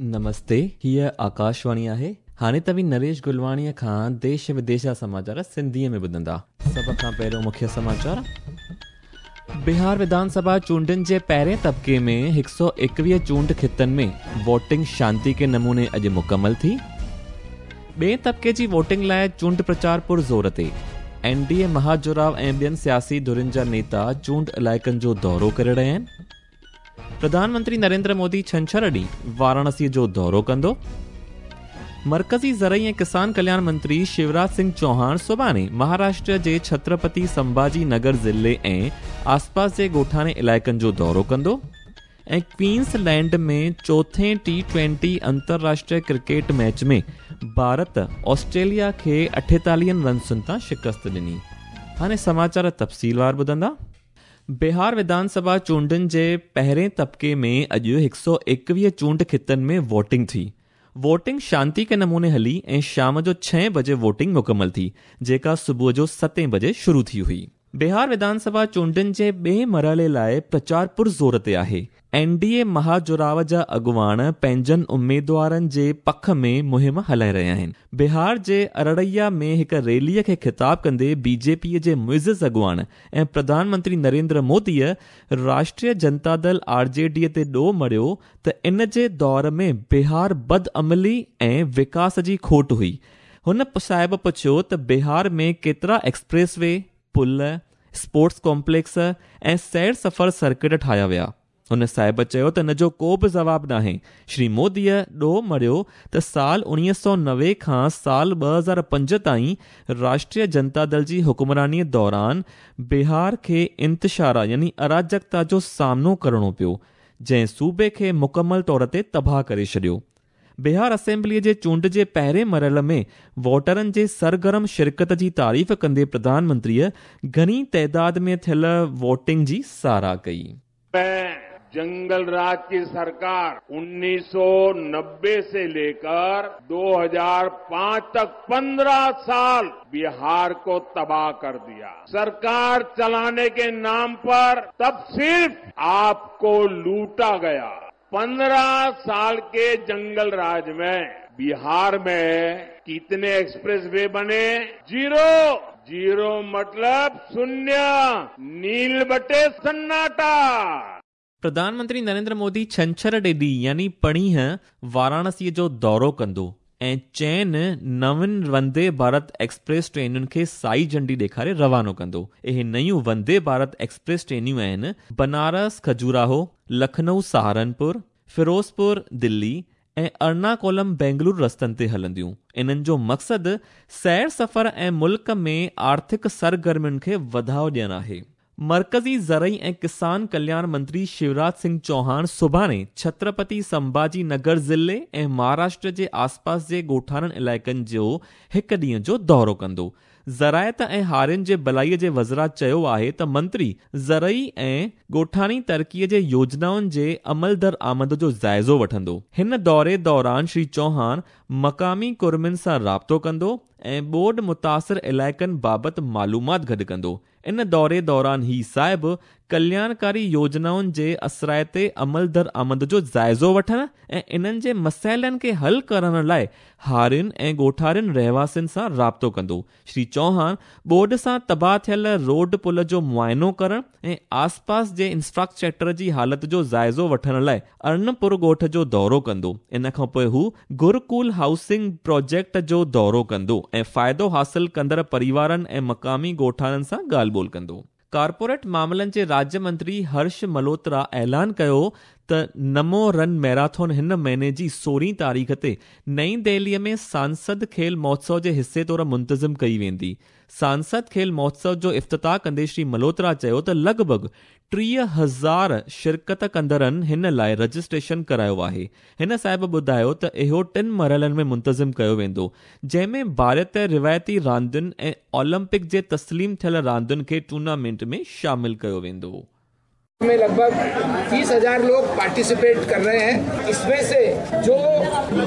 नमस्ते, हीअ आकाशवाणी आहे। हाणे तव्हीं नरेश गुलवाणीअ खां देश विदेश जा समाचार सिंधीअ में ॿुधंदा। सभ खां पहिरियों मुख्य समाचार। बिहार विधानसभा चूंडनि जे पहिरें तबिके में 121 चूंड ख़ितनि में वोटिंग शांति के नमूने अॼु मुकमल थी। ॿिए तबिके जी वोटिंग लाइ चूंड प्रचार पुर ज़ोर ते। एनडीए महाजुराव ऐं ॿियनि सियासी धुरियुनि जा नेता चूंड इलाइक़नि जो दौरो करे रहिया आहिनि। प्रधानमंत्री नरेंद्र मोदी छंछर ॾींहुं वाराणसी जो दौरो कंदो। मरकज़ी ज़रई ऐं किसान कल्याण मंत्री शिवराज सिंह चौहान सुभाणे महाराष्ट्र जे छत्रपति संभाजी नगर ज़िले ऐं आसपास जे ॻोठाणे इलाइक़नि जो दौरो कंदो। ऐं क्वींसलैंड में चोथें T20 अंतर्राष्ट्रीय क्रिकेट मैच में भारत ऑस्ट्रेलिया खे 48 रन्सुनि तां शिकस्त ॾिनी। हाणे समाचार तफ़सीलवार ॿुधंदा। बिहार विधानसभा चूंडनि जे पहिरें तबिके में अॼु 121 चूंड ख़ितनि में वोटिंग थी। वोटिंग शांति के नमूने हली ऐं शाम जो 6 बजे वोटिंग मुकमल थी, जेका सुबुह जो 7 बजे शुरू थी हुई। बिहार विधानसभा चूंडनि जे ॿिए मरहले लाइ प्रचार पुर ज़ोर ते आहे। एनडीए महाजुराव जा अॻुवाण पंहिंजनि उमेदवारनि जे पख में मुहिम हलाए रहिया आहिनि। बिहार जे अरड़िया में हिकु रैलीअ खे ख़िताब कंदे बीजेपीअ जे मुइज़ अॻुवाण ऐं प्रधानमंत्री नरेंद्र मोदीअ राष्ट्रीय जनता दल आरजेडीअ ते ॾोह मढ़ियो त इन जे दौर में बिहार बदअमली ऐं विकास जी खोट हुई। हुन साहिब पुछियो त बिहार में केतिरा एक्सप्रेस वे, पुल, स्पोर्ट्स कॉम्प्लेक्स ऐं सैर सफ़र सर्किट ठाहिया विया। हुन साहिब चयो त इन जो को बि जवाब नाहे। श्री मोदीअ ॾोह मढ़ियो त साल 1990 खां साल 2005 ताईं राष्ट्रीय जनता दल जी हुक्मरानीअ दौरान बिहार खे इंतशारा यानी अराजकता जो सामनो करिणो पियो, जंहिं सूबे खे मुकमल तौर ते तबाह करे छॾियो। बिहार असेंबलीअ जे चूंड जे पहिरें मरहले में वोटरनि जे सरगर्म शिरकत जी तारीफ़ कंदे प्रधानमंत्रीअ घणी तइदाद में थियल वोटिंग जी सराह कई। जंगल राज की सरकार 1990 से लेकर 2005 तक 15 साल बिहार को तबाह कर दिया। सरकार चलाने के नाम पर तब सिर्फ आपको लूटा गया। 15 साल के जंगल राज में बिहार में कितने एक्सप्रेस वे बने? जीरो। जीरो मतलब शून्य, नील बटे सन्नाटा। प्रधानमंत्री नरेंद्र मोदी छंछर ॾींहुं यानी पणीह वाराणसीअ जो दौरो कंदो ऐं चइनि नवनि वंदे भारत एक्सप्रेस ट्रेनुनि खे साई झंडी ॾेखारे रवानो कंदो। इहे नयूं वंदे भारत एक्सप्रेस ट्रेनियूं आहिनि बनारस खजुराहो, लखनऊ सहारनपुर, फिरोज़पुर दिल्ली ऐं अर्नाकुलम बेंगलुरु रस्तनि ते हलंदियूं। इन्हनि जो मक़सदु सैर सफ़र ऐं मुल्क में आर्थिक सरगर्मियुनि खे वधाव ॾियणु आहे। मरकज़ी ज़रई ऐं किसान कल्याण मंत्री शिवराज सिंह चौहान सुभाणे छत्रपति संभाजी नगर ज़िले ऐं महाराष्ट्र जे आसपास जे ॻोठाणनि इलाइक़नि जो हिकु ॾींहं जो दौरो कंदो। ज़रायत ऐं हारियुनि जे भलाईअ जे वज़रा चयो आहे त मंत्री ज़रई ऐं ॻोठाणी तरक़ीअ जे योजनाउनि जे अमल दर आमद जो जाइज़ो वठंदो। हिन दौरे दौरान श्री चौहान मक़ामी कुर्मियुनि सां राब्तो कंदो ऐं ॿोॾ मुतासिर इलाइक़नि बाबति मालूमात गॾु कंदो। इन दौरे दौरान ही साहिब कल्याणकारी योजनाउनि जे असराइते अमल दर आमद जो जाइज़ो वठण ऐं इन्हनि जे मसइलनि खे हल करण लाइ हारियुनि ऐं ॻोठारियुनि रहवासियुनि सां राब्तो कंदो। श्री चौहान ॿोॾ सां तबाह थियल रोड पुल जो मुआइनो करण ऐं आसपास जे इंफ्रास्ट्रक्चर जी हालत जो जाइज़ो वठण लाइ अर्नपुर ॻोठ जो दौरो कंदो। इन खां पोइ हू गुरुकुल हाउसिंग प्रोजेक्ट जो दौरो कंदो ऐं फ़ाइदो हासिल कंदड़ परिवारनि ऐं मक़ामी ॻोठाणनि सां ॻाल्हि ॿोल कंदो। कॉर्पोरेट मामलनि जे राज्य मंत्री हर्ष मल्होत्रा ऐलान कयो त नमो रन मैराथन हिन महीने जी 16 तारीख़ ते नई दिल्लीअ में सांसद खेल महोत्सव जे हिसे तौर मुंतज़िम कई वेंदी। सांसद खेल महोत्सव जो इफ़्तिताह कंदे श्री मल्होत्रा चयो त लॻ भॻ 30,000 शिरकत कंदड़नि हिन लाइ रजिस्ट्रेशन करायो आहे। हिन साहिब ॿुधायो त इहो 3 मरहलनि में मुंतज़िम कयो वेंदो, जंहिंमें भारतीय रिवायती रांदियुनि ऐं ओलंपिक जे तस्लीम थियल रांदियुनि खे टूर्नामेंट में शामिल कयो वेंदो। में लगभग 30,000 लोग पार्टिसिपेट कर रहे हैं। इसमें से जो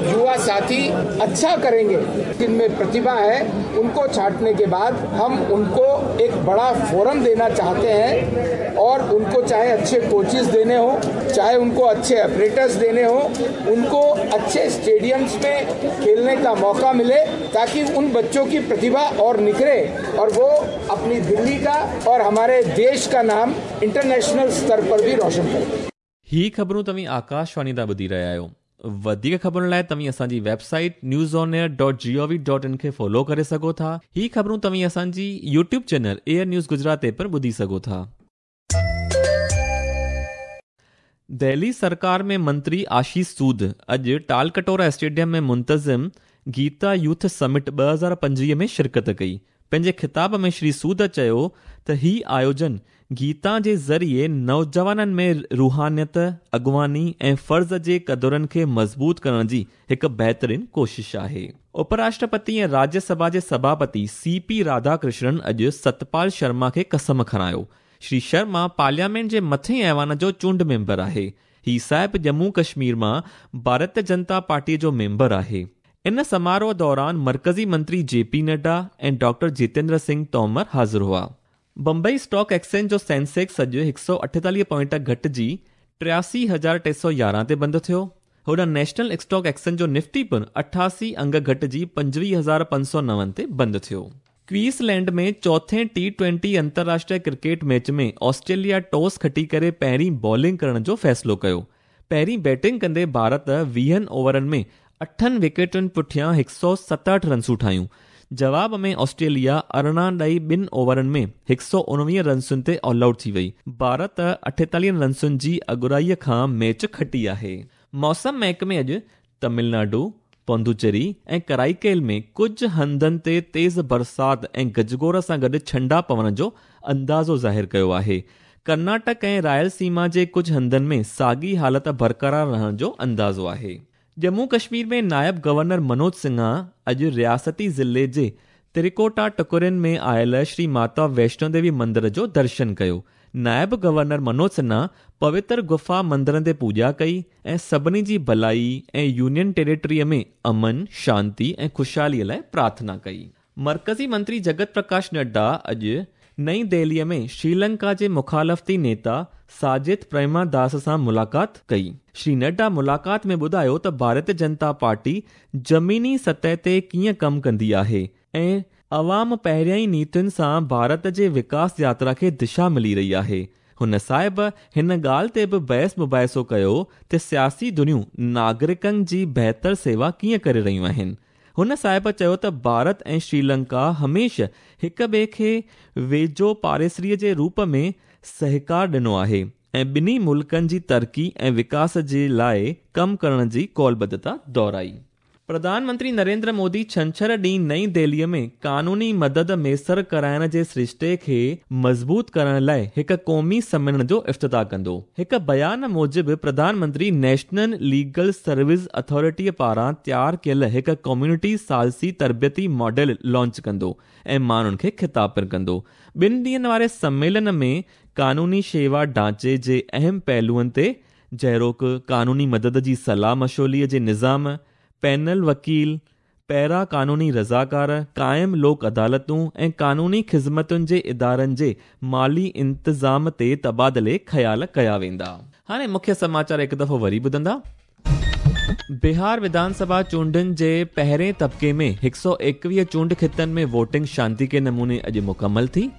युवा साथी अच्छा करेंगे, जिनमें प्रतिभा है, उनको छांटने के बाद हम उनको एक बड़ा फोरम देना चाहते हैं और उनको चाहे अच्छे कोचेस देने हो, चाहे उनको अच्छे ऑपरेटर्स देने हो, उनको अच्छे स्टेडियम्स में खेलने का मौका मिले ताकि उन बच्चों की प्रतिभा और निखरे और वो अपनी दिल्ली का और हमारे देश का नाम इंटरनेशनल स्तर पर भी रोशन करें। ही ख़बरूं तव्हीं आकाशवाणी तां ॿुधी रहिया आहियो। वधीक ख़बरुनि लाइ तव्हीं असांजी वेबसाइट newsonair.gov.in खे फॉलो करे सघो था। ही ख़बरूं तव्हीं असांजी YouTube channel AIR news Gujarat ते पिणु ॿुधी सघो था। दिल्ली सरकार में मंत्री आशीष सूद अॼु टालकटोरा स्टेडियम में मुंतज़िम गीता यूथ समिट 2025 में शिरकत कई। पंहिंजे ख़िताब में श्री सूद चयो त ही आयोजन गीता जे ज़रिए नौजवाननि में रूहानियत, अॻुवानी ऐं फ़र्ज़ जे क़दुरनि खे मज़बूत करण जी हिकु बहितरीन कोशिश आहे। उपराष्ट्रपति ऐं राज्यसभा जे सभापति सीपी राधाकृष्णन अॼु सतपाल शर्मा खे कसम खणायो। श्री शर्मा पार्लियामेंट जे मथे ऐवान जो चूंड मेंबर आहे। ही साहिब जम्मू कश्मीर मां भारतीय जनता पार्टीअ जो मेंबर आहे। इन समारोह दौरान मर्कज़ी मंत्री जेपी नड्डा ऐं डॉक्टर जितेंद्र सिंह तोमर हाज़िर हुआ। बम्बई स्टॉक एक्सचेंज जो सेंसेक्स अॼु 148 पॉइंट घटिजी 83,311 ते बंदि थियो। होॾां नेशनल स्टॉक एक्सचेंज जो निफ्टी पिणु 88 अंग घटिजी 25,509 ते बंदि थियो। क्वींसलैंड में चौथे T20 अंतर्राष्ट्रीय क्रिकेट मैच में ऑस्ट्रेलिया टॉस खटी करे पहिरीं बॉलिंग करण जो फ़ैसिलो कयो। पहिरीं बैटिंग कंदे भारत 20 ओवरनि में 8 विकेटुनि पुठियां 167 रनसूं ठाहियूं। जवाब में ऑस्ट्रेलिया 18.2 ओवरनि में 119 रनसुनि ते ऑल आउट थी वई। भारत 48 रनसुनि जी अगुराईअ खां मैच खटी आहे। मौसम महकमे अॼु तमिलनाडु, पुदुचेरी ऐं कराईकेल में कुझु हंधनि ते तेज़ बरसाति ऐं गजगोर सां गॾु छंडा पवण जो अंदाज़ो ज़ाहिर कयो आहे। कर्नाटक ऐं रायलसीमा जे कुझु हंधनि में साॻी हालत बरक़रार रहण जो अंदाज़ो आहे। जम्मू कश्मीर में नायब गवर्नर मनोज सिन्हा अॼु रियासती ज़िले जे त्रिकोटा टुकरियुनि में आयल श्री माता वैष्णो देवी मंदिर जो दर्शन कयो। नायब गवर्नर मनोज सिन्हा पवित्र गुफा मंदिरनि ते पूॼा कई ऐं सभिनी जी भलाई ऐं यूनियन टेरिटरीअ में अमन, शांति ऐं ख़ुशहालीअ लाइ प्रार्थना कई। मर्कज़ी मंत्री जगत प्रकाश नड्डा अॼु नई दिल्लीअ में श्रीलंका जे मुखालफ़ती नेता साजिद प्रेमादास सां मुलाक़ात कई। श्री नड्डा मुलाक़ात में ॿुधायो त भारतीय जनता पार्टी ज़मीनी सतह ते कीअं कमु कंदी आहे ऐं अवाम पहिरियां ई नीतियुनि सां भारत जे विकास यात्रा खे दिशा मिली रही आहे। हुन साहिब हिन ॻाल्हि ते बि बहस मुबाहिसो कयो त सियासी दुनियूं नागरिकनि जी बहितर सेवा कीअं करे रहियूं आहिनि। हुन साहिब चयो त भारत ऐं श्रीलंका हमेशह हिक ॿिए खे वेझो पाड़ेसरीअ जे रूप में सहकार ॾिनो आहे ऐं ॿिन्ही मुल्कनि जी तरक़ी ऐं विकास जे लाइ कमु करण जी कौलबद्धता दोहराई। प्रधानमंत्री नरेंद्र मोदी छंछर ॾींहुं नई दिल्लीअ में कानूनी मदद मयसर कराइण जे सरिश्ते खे मज़बूत करण लाइ हिकु क़ौमी सम्मेलन जो इफ़्तिताह कंदो। हिकु बयान मूजिबि प्रधानमंत्री नेशनल लीगल सर्विस अथॉरिटीअ पारां तयारु कयल हिकु कम्युनिटी सालसी तरबियती मॉडल लॉन्च कंदो ऐं माण्हुनि खे ख़िताब पिणु कंदो। ॿिनि ॾींहंनि वारे सम्मेलन में कानूनी शेवा ढांचे जे अहम पहलुअनि ते जहिड़ोक कानूनी मदद जी सलाह मशोलीअ जे निज़ाम, पैनल वकील, पैरा कानूनी रज़ाकार, क़ाइम लोक अदालतूं ऐं कानूनी ख़िज़मतुनि जे इदारनि जे माली इंतज़ाम ते तबादिले ख़्याल कया वेंदा। हाणे मुख्य समाचार हिकु दफ़ो वरी ॿुधंदा। बिहार विधानसभा चूंडनि जे पहिरें तबिके में 121 चूंड ख़ितनि में वोटिंग शांति के नमूने अॼु मुकमल थी।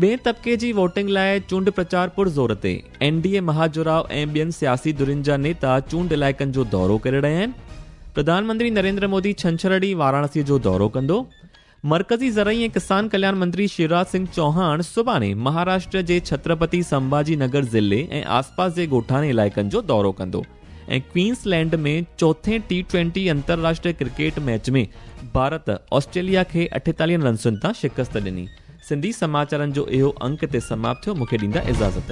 ॿिए तबिके जी वोटिंग लाइ चूंड प्रचार पुरज़ोर ते। एनडीए महाजुराव ऐं ॿियनि सियासी धुरियुनि जा नेता चूंड इलाइक़नि जो दौरो करे रहिया आहिनि। प्रधानमंत्री नरेंद्र मोदी छंछर ॾींहुं वाराणसीअ जो दौरो कंदो। मर्कज़ी ज़रई ऐं किसान कल्याण मंत्री शिवराज सिंह चौहान सुभाणे महाराष्ट्र जे छत्रपति संभाजी नगर ज़िले ऐं आसपास जे ॻोठाणे इलाइक़नि जो दौरो कंदो। ऐं क्वींसलैंड में चौथे T20 अंतर्राष्ट्रीय क्रिकेट मैच में भारत ऑस्ट्रेलिया खे 48 रनसुनि तां शिकस्त ॾिनी। सिंधी समाचारनि जो इहो अंक ते समाप्त थियो। मूंखे ॾींदा इजाज़त।